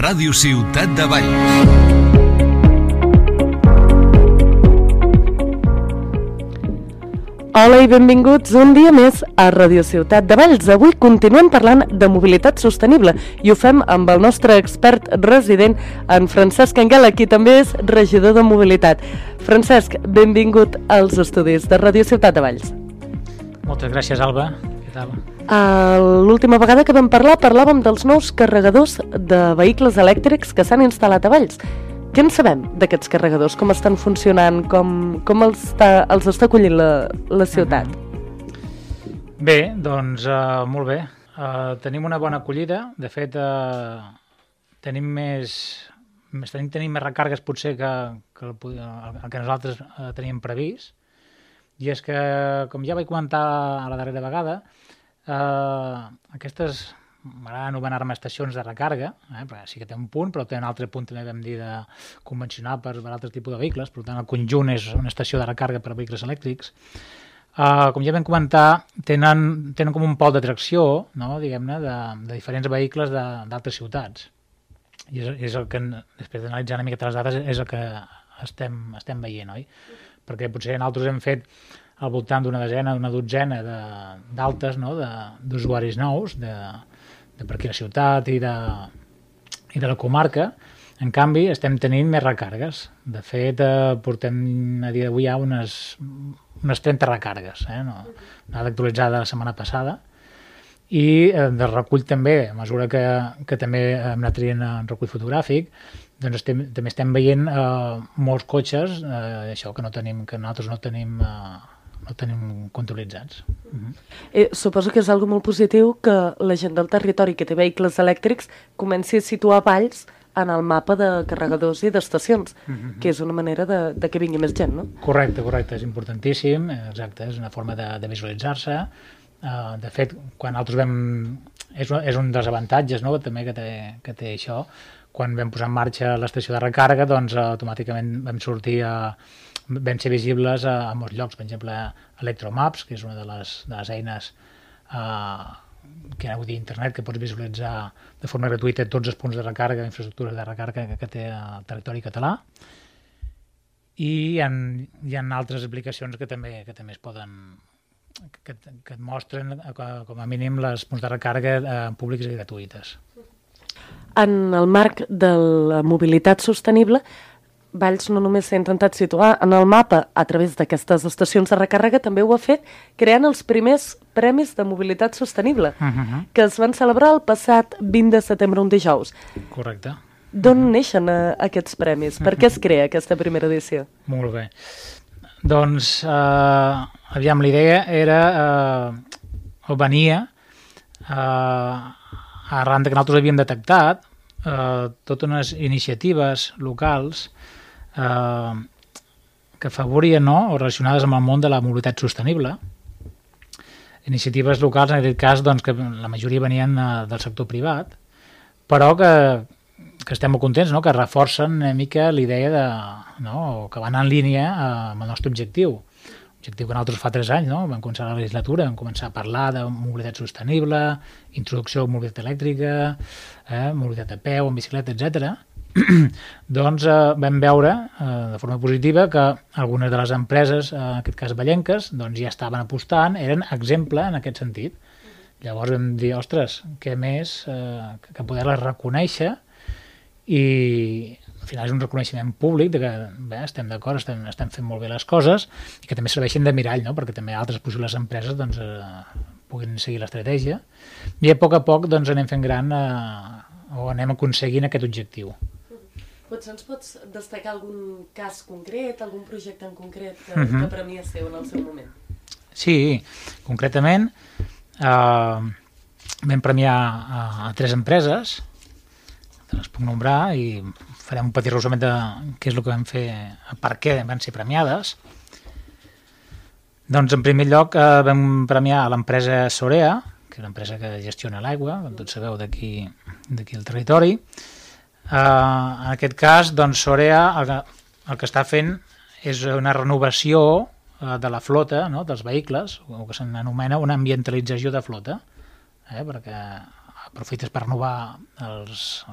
Ràdio Ciutat de Valls. Hola i benvinguts un dia més a Ràdio Ciutat de Valls. Avui continuem parlant de mobilitat sostenible i ho fem amb el nostre expert resident, en Francesc Anguela, qui també és regidor de mobilitat. Francesc, benvingut als estudis de Ràdio Ciutat de Valls. Moltes gràcies, Alba. Què tal? L'última vegada que vam parlar parlàvem dels nous carregadors de vehicles elèctrics que s'han instal·lat a Valls. Què en sabem d'aquests carregadors? Com estan funcionant? Com els està acollint la ciutat? Bé, doncs molt bé. Tenim una bona acollida. De fet, tenim més recargues potser que el que nosaltres teníem previst. I és que, com ja vaig comentar a la darrera vegada, aquestes m'agrada anomenar-me estacions de recàrrega, perquè sí que té un punt, però té un altre punt també vam dir de convencional per altres tipus de vehicles, per tant el conjunt és una estació de recàrrega per a vehicles elèctrics. Com ja vam comentar, tenen com un pol d'atracció, no, diguem-ne, de diferents vehicles d'altres ciutats. I és el que, després d'analitzar una miqueta les dades, és el que estem veient, oi? Perquè potser nosaltres hem fet al voltant d'una desena, una dotzena d'altes, no, d'usuaris nous per aquí a la ciutat i de la comarca. En canvi, estem tenint més recàrregues. De fet, portem a dia d'avui ja unes 30 recàrregues, una dada actualitzada la setmana passada. I de recull també, a mesura que també hem anat traient en recull fotogràfic, doncs també estem veient molts cotxes, això que nosaltres no tenim controlitzats. Suposo que és algo molt positiu que la gent del territori que té vehicles elèctrics comenci a situar Valls en el mapa de carregadors i d'estacions, que és una manera de que vingui més gent, no? Correcte, és importantíssim, exacte, és una forma de visualitzar-se. De fet, quan nosaltres és un dels avantatges, no?, també que té això. Quan vam posar en marxa l'estació de recàrrega, doncs automàticament vam ser visibles a molts llocs. Per exemple, Electromaps, que és una de les eines que aneu a dir internet, que pots visualitzar de forma gratuïta tots els punts de recàrrega, infraestructures de recàrrega que té el territori català. I hi ha altres aplicacions que també es poden, que et mostren com a mínim les punts de recàrrega públiques i gratuïtes. En el marc de la mobilitat sostenible, Valls no només s'ha intentat situar en el mapa a través d'aquestes estacions de recàrrega, també ho ha fet creant els primers premis de mobilitat sostenible, que es van celebrar el passat 20 de setembre, un dijous. Correcte. D'on neixen aquests premis? Per què es crea aquesta primera edició? Molt bé. Doncs, aviam, la idea era, o venia, arran que nosaltres havíem detectat totes unes iniciatives locals que afavorien, no?, o relacionades amb el món de la mobilitat sostenible. Iniciatives locals, en aquest cas, doncs, que la majoria venien del sector privat, però que estem molt contents, no?, que reforcen una mica l'idea o que van en línia amb el nostre objectiu. Objectiu que nosaltres fa 3 anys, no?, vam començar la legislatura, vam començar a parlar de mobilitat sostenible, introducció de mobilitat elèctrica, mobilitat a peu, en bicicleta, etc. Doncs vam veure de forma positiva que algunes de les empreses, en aquest cas vallenques, doncs ja estaven apostant, eren exemple en aquest sentit. Llavors vam dir, ostres, què més que poder-les reconèixer, i al final és un reconeixement públic de que estem d'acord, estem fent molt bé les coses i que també serveixen de mirall, no?, perquè també altres possibles empreses doncs, puguin seguir l'estratègia, i a poc doncs, anem fent gran o anem aconseguint aquest objectiu. Potser ens pots destacar algun cas concret, algun projecte en concret que premiasseu en el seu moment? Sí, concretament vam premiar a 3 empreses, les puc nombrar i farem un petit resum de què és el que vam fer, per què van ser premiades. Doncs en primer lloc vam premiar a l'empresa Sorea, que és una empresa que gestiona l'aigua, com tots sabeu, d'aquí al territori. En aquest cas, doncs, Sorea el que està fent és una renovació de la flota, no?, dels vehicles, o que s'anomena una ambientalització de flota, perquè aprofites per renovar les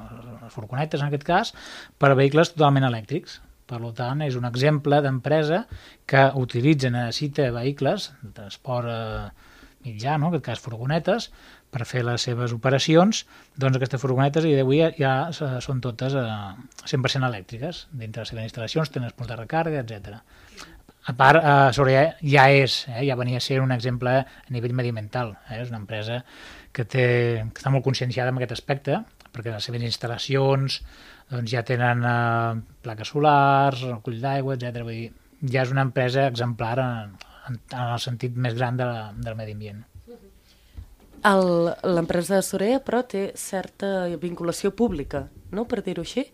furgonetes, en aquest cas, per a vehicles totalment elèctrics. Per tant, és un exemple d'empresa que utilitza, necessita vehicles de transport mitjà, no? En aquest cas furgonetes, per fer les seves operacions. Doncs aquestes furgonetes i d'avui ja són totes 100% elèctriques. Dintre les seves instal·lacions tenen punts de recàrrega, etc. A part, Sorea ja venia a ser un exemple a nivell mediambiental. És una empresa que està molt conscienciada en aquest aspecte, perquè les seves instal·lacions doncs ja tenen plaques solars, recull d'aigua, etc. Vull dir, ja és una empresa exemplar en el sentit més gran del medi ambient. L'empresa de Sorea, però, té certa vinculació pública, no?, per dir-ho així.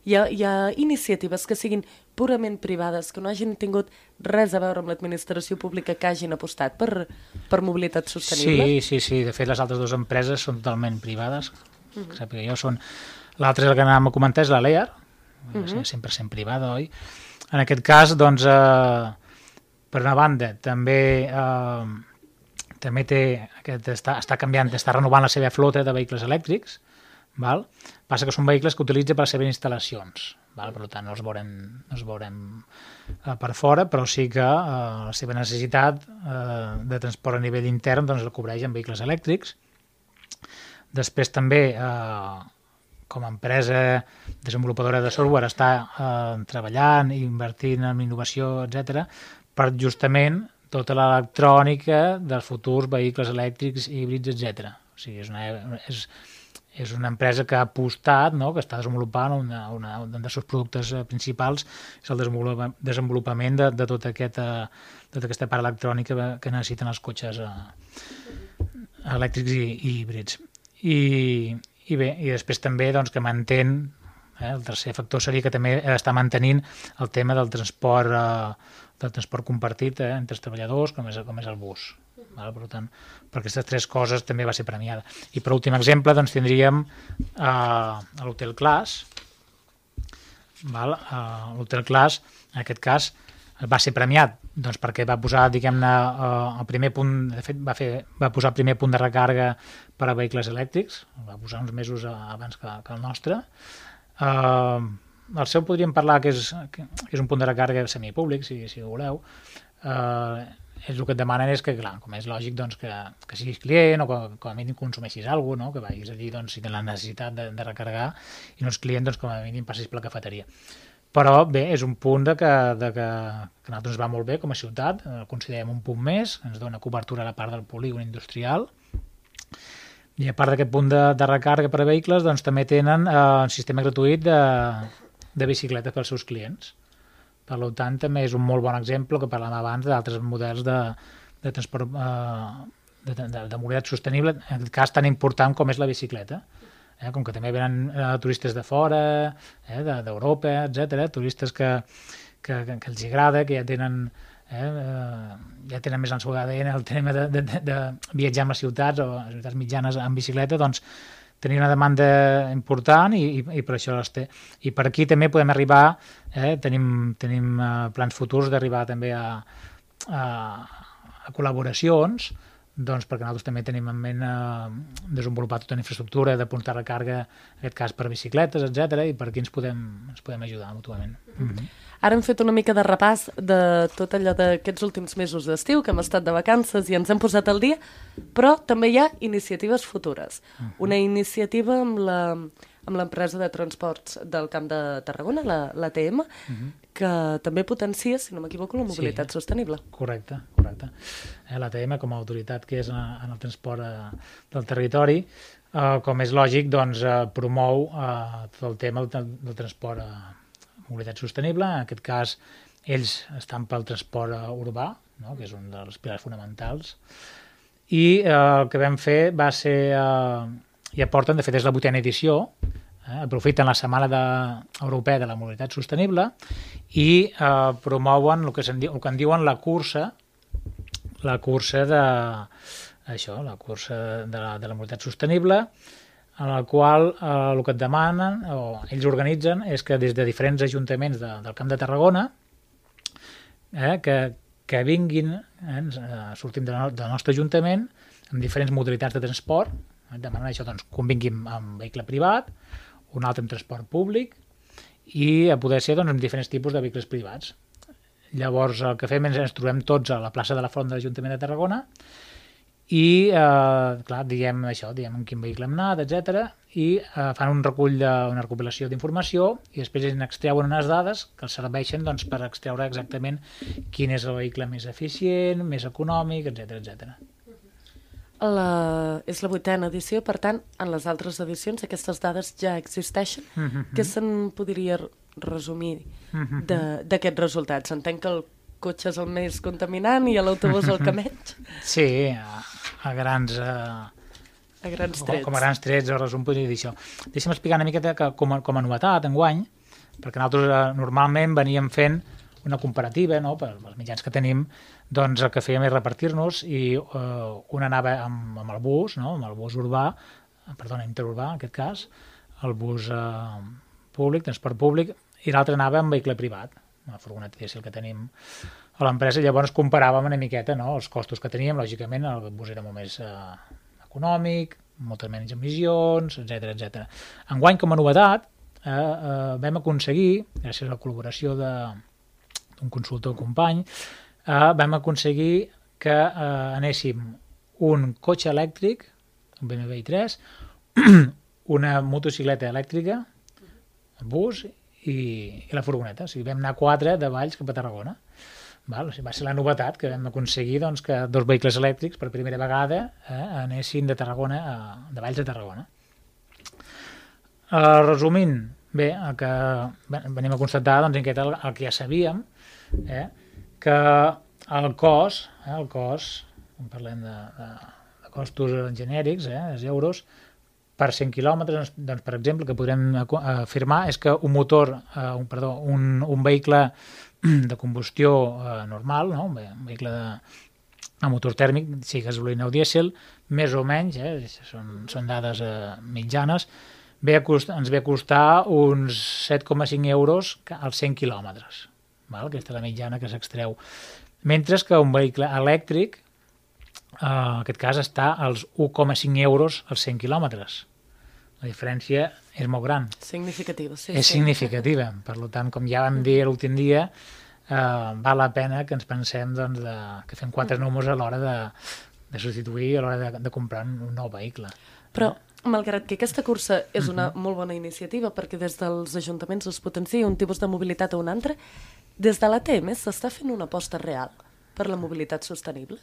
Hi ha iniciatives que siguin purament privades, que no hagin tingut res a veure amb l'administració pública, que hagin apostat per mobilitat sostenible? Sí. De fet, les altres dues empreses són totalment privades. Que jo són... L'altra, el que anàvem a comentar, és la Lear, 100% privada, oi? En aquest cas, doncs, per una banda, també està canviant, està renovant la seva flota de vehicles elèctrics, val? Passa que són vehicles que utilitza per les seves instal·lacions, val? Per tant no els veurem per fora, però sí que la seva necessitat de transport a nivell intern doncs la cobreix amb vehicles elèctrics. Després també, com a empresa desenvolupadora de software, està treballant i invertint en innovació, etc., per justament tota l'electrònica dels futurs vehicles elèctrics, híbrids, etc. O sigui, és una empresa que ha apostat, no?, que està desenvolupant un dels seus productes principals, és el desenvolupament de tota aquesta part electrònica que necessiten els cotxes elèctrics i híbrids. I després també doncs, que mantén, el tercer factor seria que també està mantenint el tema del transport compartit entre els treballadors, com és el bus. Per tant, per aquestes tres coses també va ser premiada. I per últim exemple doncs, tindríem l'Hotel Class. L'Hotel Class, en aquest cas, va ser premiat doncs, perquè va posar, diguem-ne, el primer punt, de fet, va posar el primer punt de recàrrega per a vehicles elèctrics, va posar uns mesos abans que el nostre. El seu podríem parlar que és un punt de recàrrega semipúblic, si voleu. El que et demanen és que, clar, com és lògic, doncs, que siguis client o que com a mínim consumeixis alguna cosa, no? Que vagis allí doncs, si tens la necessitat de recarregar i no ets client, doncs, com a mínim passis per la cafeteria. Però bé, és un punt que a nosaltres ens va molt bé com a ciutat, el considerem un punt més, ens dona cobertura a la part del polígon industrial, i a part d'aquest punt de recàrrega per a vehicles, doncs també tenen un sistema gratuït de bicicletes pels seus clients. Per tant, també és un molt bon exemple que parlàvem abans d'altres models de transport de mobilitat sostenible, en aquest cas tan important com és la bicicleta. Com que també venen turistes de fora, d'Europa, etc., turistes que els agrada, que ja tenen més en el seu ADN el tema de viatjar amb les ciutats o les ciutats mitjanes en bicicleta, doncs tenia una demanda important i per això les té. I per aquí també podem arribar, tenim plans futurs d'arribar també a col·laboracions, doncs perquè nosaltres també tenim en ment desenvolupar tota una infraestructura de punts de recàrrega, en aquest cas per bicicletes, etc., i per aquí ens podem ajudar mútuament. Ara hem fet una mica de repàs de tot allò d'aquests últims mesos d'estiu, que hem estat de vacances i ens hem posat al dia, però també hi ha iniciatives futures. Una iniciativa amb l'empresa de transports del Camp de Tarragona, l'ATM, que també potencia, si no m'equivoco, la mobilitat sostenible. Correcte. L'ATM, com a autoritat que és en el transport del territori, com és lògic, doncs, promou tot el tema del transport mobilitat sostenible. En aquest cas, ells estan pel transport urbà, no?, que és un dels pilars fonamentals, i el que vam fer va ser, i aporten, de fet és la 8a edició, aprofiten la Setmana Europea de la Mobilitat Sostenible i promouen el que en diuen la cursa de la mobilitat sostenible, en la qual el que et demanen, o ells organitzen, és que des de diferents ajuntaments del Camp de Tarragona que vinguin, sortim del nostre ajuntament amb diferents modalitats de transport, Demanen això, doncs, que un vingui amb vehicle privat, un altre amb transport públic i a poder ser doncs, amb diferents tipus de vehicles privats. Llavors, el que fem és ens trobem tots a la plaça de la Font de l'Ajuntament de Tarragona i, clar, diem això, diem en quin vehicle hem anat, etc. I fan un recull una recopilació d'informació i després ens extreuen unes dades que els serveixen doncs, per extreure exactament quin és el vehicle més eficient, més econòmic, etc etc. És la 8a edició, per tant, en les altres edicions aquestes dades ja existeixen. Què se'n podria resumir d'aquests resultats? Entenc que el cotxe és el més contaminant i l'autobús el que menys? Sí, a grans trets. Com a grans trets, el resum podria dir això. Deixa'm explicar una miqueta que com a novetat enguany, perquè nosaltres normalment veníem fent una comparativa, no? Per els mitjans que tenim, doncs el que fèiem és repartir-nos i un anava amb el bus, no? Amb el bus urbà, interurbà en aquest cas, el bus públic, transport públic, i l'altre anava amb vehicle privat, una furgoneta dièsel que tenim a l'empresa. Llavors comparàvem una miqueta, no? Els costos que teníem, lògicament el bus era molt més econòmic, moltes menys emissions, etc etc. Enguany, com a novetat, vam aconseguir, gràcies a la col·laboració d'un consultor company, vam aconseguir que anéssim un cotxe elèctric, un BMW i3, una motocicleta elèctrica, un bus i la furgoneta. O sigui, vam anar 4 de Valls cap a Tarragona. Val? O sigui, va ser la novetat que vam aconseguir doncs, que 2 vehicles elèctrics per primera vegada anessin de Valls a Tarragona. Resumint, bé, el que venim a constatar doncs, el que ja sabíem, que el cost, quan parlem de costos genèrics, els euros, per 100 quilòmetres, doncs, per exemple, que podrem afirmar és que un vehicle de combustió normal, no? Un vehicle de motor tèrmic, sigui gasolina o dièsel, més o menys, són dades mitjanes, ens ve a costar uns 7,5 euros als 100 quilòmetres. Aquesta és la mitjana que s'extreu. Mentre que un vehicle elèctric, en aquest cas, està als 1,5 euros als 100 quilòmetres. La diferència és molt gran. Significativa, sí. És significativa. Per tant, com ja vam dir l'últim dia, val la pena que ens pensem que fem 4 números a l'hora de substituir, a l'hora de comprar un nou vehicle. Però, malgrat que aquesta cursa és una molt bona iniciativa, perquè des dels ajuntaments es potencia un tipus de mobilitat o un altre, des de l'ATM s'està fent una aposta real per la mobilitat sostenible?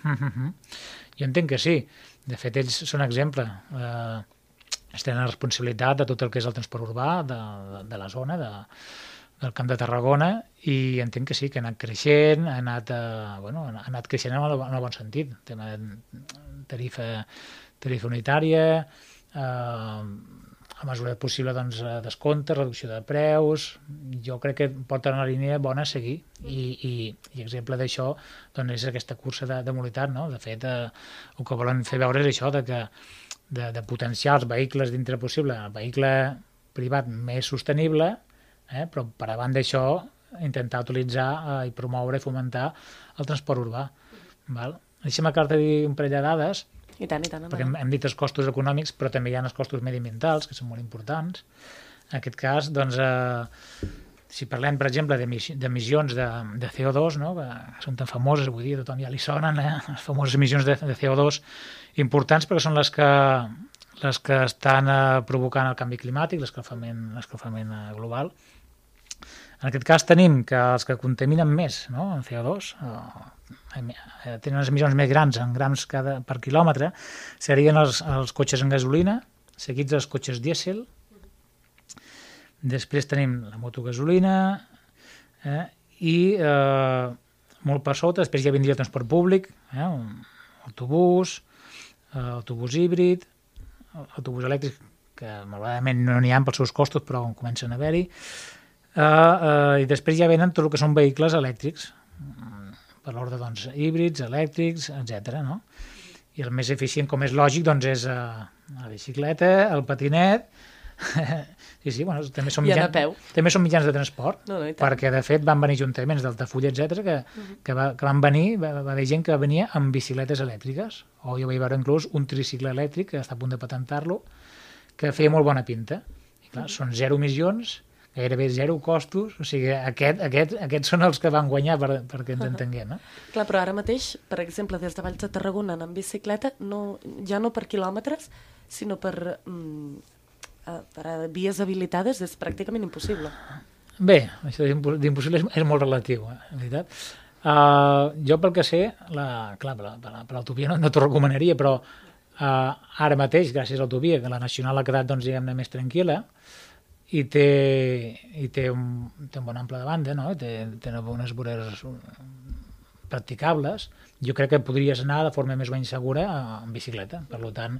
Jo entenc que sí. De fet, ells són exemple. Ells tenen la responsabilitat de tot el que és el transport urbà, de la zona, del Camp de Tarragona, i entenc que sí, que ha anat creixent, ha anat creixent en el bon sentit. Tema de tarifa unitària, a mesura possible descompte, reducció de preus. Jo crec que porten una línia bona a seguir i exemple d'això és aquesta cursa de mobilitat. De fet, el que volen fer veure és això, de potenciar els vehicles dintre possible, el vehicle privat més sostenible, però per davant d'això intentar utilitzar i promoure i fomentar el transport urbà. Deixa'm acabar-te dir un parell de dades, I tant. perquè hem dit els costos econòmics, però també hi ha els costos mediambientals, que són molt importants. En aquest cas, si parlem, per exemple, d'emissions de CO2, no? Que són tan famoses, vull dir, a tothom ja li sonen, les famoses emissions de CO2 importants, perquè són les que estan provocant el canvi climàtic, l'escalfament global. En aquest cas tenim que els que contaminen més, no? En CO2, tenen unes emissions més grans en grams per quilòmetre, serien els cotxes en gasolina, seguits dels cotxes dièsel. Després tenim la motogasolina i molt per sota, després ja vindria el transport públic, autobús, autobús híbrid, autobús elèctric, que malauradament no n'hi ha pels seus costos, però comencen a haver-hi. I després ja venen tot el que són vehicles elèctrics, per l'ordre híbrids, elèctrics, etc. No? I el més eficient, com és lògic, és la bicicleta, el patinet Sí, bueno, també són I anar a peu. també són mitjans de transport, No, i tant. perquè de fet van venir ajuntaments d'Altafulla, etc que van venir, va haver gent que venia amb bicicletes elèctriques, o jo vaig veure inclús un tricicle elèctric que està a punt de patentar-lo, que feia molt bona pinta. I clar, són 0 emissions, gairebé 0 costos, o sigui, aquests són els que van guanyar perquè ens entenguem. Clar, però ara mateix, per exemple, des de Valls de Tarragona anant amb bicicleta, ja no per quilòmetres, sinó per vies habilitades és pràcticament impossible. Bé, això d'impossible és molt relatiu, en veritat. Jo pel que sé, clar, per l'autovia no t'ho recomanaria, però ara mateix, gràcies a l'autovia, que la nacional ha quedat, doncs, diguem-ne, més tranquil·la, i té un bon ample de banda, no? Té unes voreres practicables. Jo crec que podries anar de forma més o menys segura en bicicleta. Per tant,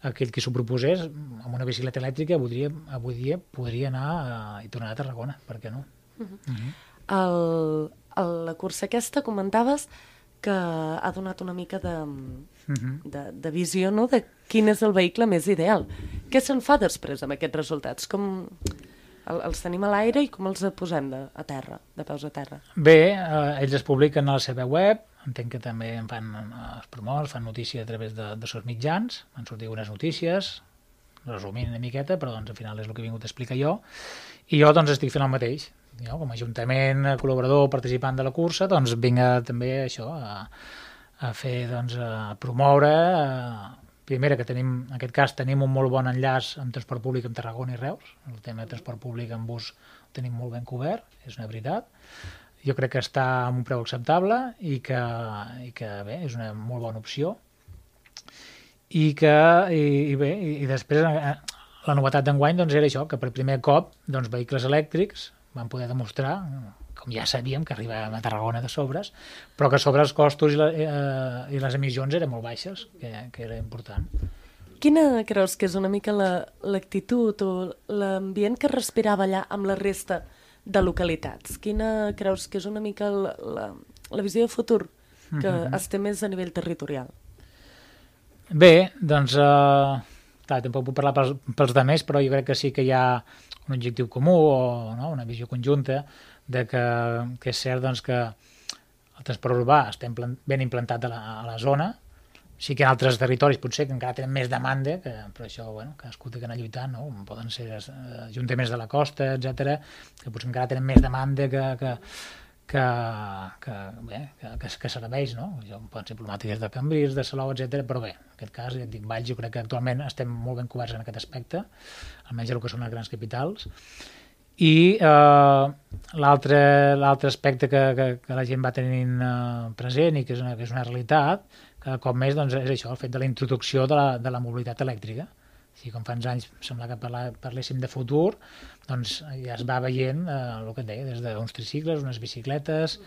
aquell que s'ho proposés amb una bicicleta elèctrica avui dia podria anar i tornar a Tarragona, per què no? La cursa aquesta comentaves que ha donat una mica de visió, no?, de quin és el vehicle més ideal. Què se'n fa després amb aquests resultats? Com els tenim a l'aire i com els posem a terra, de peus a terra? Bé, ells es publiquen a la seva web, entenc que també es promouen, fan notícia a través de seus mitjans, van sortir unes notícies, resumint una miqueta, però doncs al final és el que he vingut a explicar jo, i jo doncs estic fent el mateix. Jo, com a ajuntament, col·laborador, participant de la cursa, doncs vinc també això, a fer, doncs, a promoure, primera, que tenim, en aquest cas, tenim un molt bon enllaç amb transport públic amb Tarragona i Reus, el tema de transport públic en bus ho tenim molt ben cobert, és una veritat. Jo crec que està a un preu acceptable i que bé, és una molt bona opció. I després la novetat d'enguany doncs, era això, que per primer cop doncs, vehicles elèctrics van poder demostrar, com ja sabíem, que arribàvem a Tarragona de sobres, però que sobre els costos i les emissions eren molt baixes, que era important. Quina creus que és una mica l'actitud o l'ambient que respirava allà amb la resta de localitats? Quina creus que és una mica la visió de futur que es té més a nivell territorial? Bé, doncs, clar, tampoc puc parlar pels demés, però jo crec que sí que hi ha un objectiu comú o no, una visió conjunta de que és cert doncs, que el transport urbà està ben implantat a la zona. Sí que en altres territoris potser que encara tenen més demanda, però això, bueno, cadascú té que anar lluitant, no? Poden ser ajuntaments de la costa, etc, que potser encara tenen més demanda que serveis, no? Poden ser problemàtiques de Cambrils, de Salou, etc. Però bé, en aquest cas, ja et dic, Valls, jo crec que actualment estem molt ben coberts en aquest aspecte, almenys el que són les grans capitals. I l'altre aspecte que la gent va tenint present i que és una realitat, cada cop més doncs, és això, el fet de la introducció de la mobilitat elèctrica. Si com fa uns anys sembla que parléssim de futur, doncs ja es va veient el que et deia, des d'uns tricicles, unes bicicletes.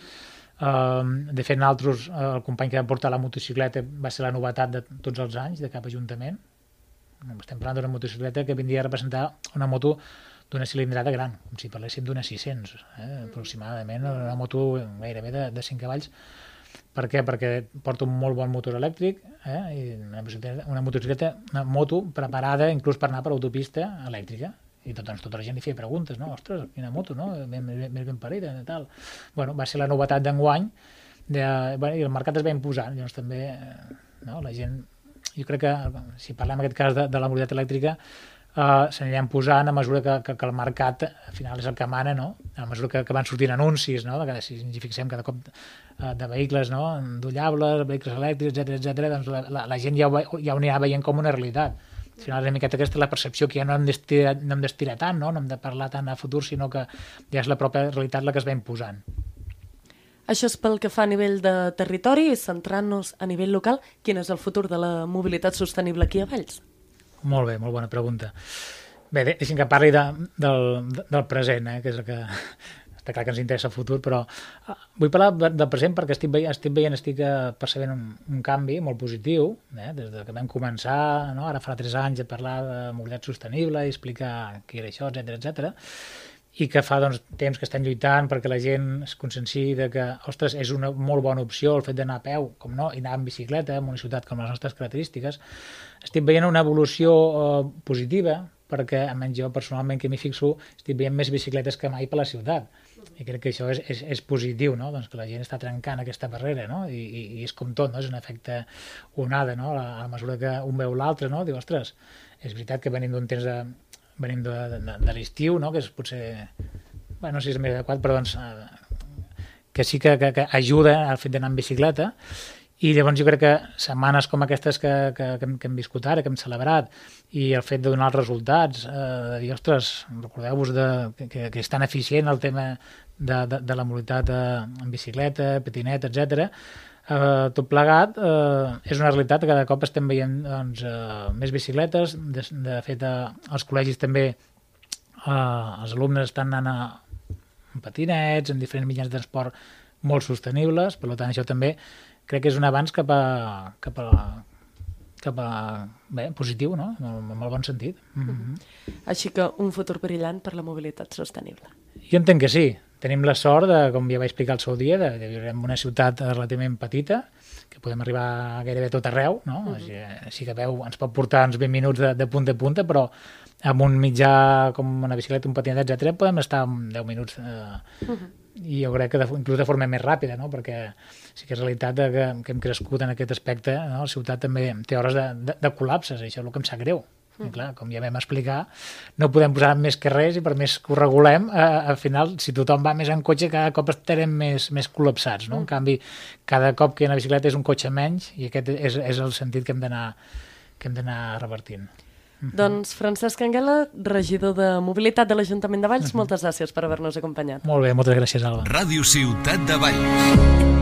De fet, nosaltres, el company que va portar la motocicleta va ser la novetat de tots els anys de cap ajuntament. Estem parlant d'una motocicleta que vindria a representar una moto d'una cilindrada gran, com si parléssim d'una 600, aproximadament, una moto gairebé de 5 cavalls. Per què? Perquè porta un molt bon motor elèctric i una moto preparada inclús per anar per l'autopista elèctrica. I tota la gent li feia preguntes, no? Ostres, quina moto, no? Ben parida i tal. Bueno, va ser la novetat d'enguany i el mercat es va imposant. Llavors també la gent, jo crec que si parlem en aquest cas de la mobilitat elèctrica, s'aniran posant a mesura que el mercat al final és el que mana, no? A mesura que van sortint anuncis, no? Si ens fixem cada cop de vehicles, no? Endollables, vehicles elèctrics, etc, doncs la gent ja ho anirà veient com una realitat. Al final és una miqueta aquesta la percepció que ja no hem d'estirar tant, no hem de parlar tant a futur, sinó que ja és la pròpia realitat la que es va imposant. Això és pel que fa a nivell de territori i centrant-nos a nivell local, quin és el futur de la mobilitat sostenible aquí a Valls? Molt bé, molt bona pregunta. Bé, deixem que parli del present, que és el que està clar que ens interessa el futur, però vull parlar del present perquè estic percebent un canvi molt positiu, des que vam començar, no? Ara farà 3 anys, a parlar de mobilitat sostenible i explicar què era això, etc, i que fa temps que estem lluitant perquè la gent es conscienciï de que, ostres, és una molt bona opció el fet d'anar a peu, com no, i anar en bicicleta en una ciutat com les nostres característiques. Estic veient una evolució positiva, perquè almenys jo personalment que m'hi fixo estic veient més bicicletes que mai per la ciutat i crec que això és positiu, no? Doncs que la gent està trencant aquesta barrera, no? I és com tot, no? És un efecte onada, no? A la mesura que un veu l'altre, no? Diu, ostres, és veritat que venim d'un temps venim de l'estiu, no? Que és potser, bueno, no sé si és més adequat, però doncs que sí que ajuda al fet d'anar en bicicleta. I llavors jo crec que setmanes com aquestes que hem viscut ara, que hem celebrat, i el fet de donar els resultats, de dir, ostres, recordeu-vos que és tan eficient el tema de la mobilitat en bicicleta, patinet, etc. Tot plegat és una realitat que cada cop estem veient doncs, més bicicletes. De fet, als col·legis també els alumnes estan anant en patinets, en diferents mitjans de transport molt sostenibles, per tant això també crec que és un avanç cap a bé, positiu, no? En molt bon sentit. Així que un futur brillant per la mobilitat sostenible. Jo entenc que sí. Tenim la sort, com ja vaig explicar el seu dia, de viure en una ciutat relativament petita, que podem arribar gairebé a tot arreu, no? Així que veu, ens pot portar uns 20 minuts de punta a punta, però amb un mitjà com una bicicleta, un patinet, etc., podem estar en 10 minuts i jo crec que inclús de forma més ràpida, no? Perquè sí que és realitat que hem crescut en aquest aspecte, no? La ciutat també té hores de col·lapses, i això és el que em sap greu. I clar, com ja vam explicar, no podem posar més que res i per més que ho regulem, al final, si tothom va més en cotxe, cada cop estarem més col·lapsats, no? En canvi, cada cop que hi ha una bicicleta és un cotxe menys i aquest és el sentit que hem d'anar revertint. Doncs Francesc Anguela, regidor de Mobilitat de l'Ajuntament de Valls, moltes gràcies per haver-nos acompanyat. Molt bé, moltes gràcies, Alba. Ràdio Ciutat de Valls.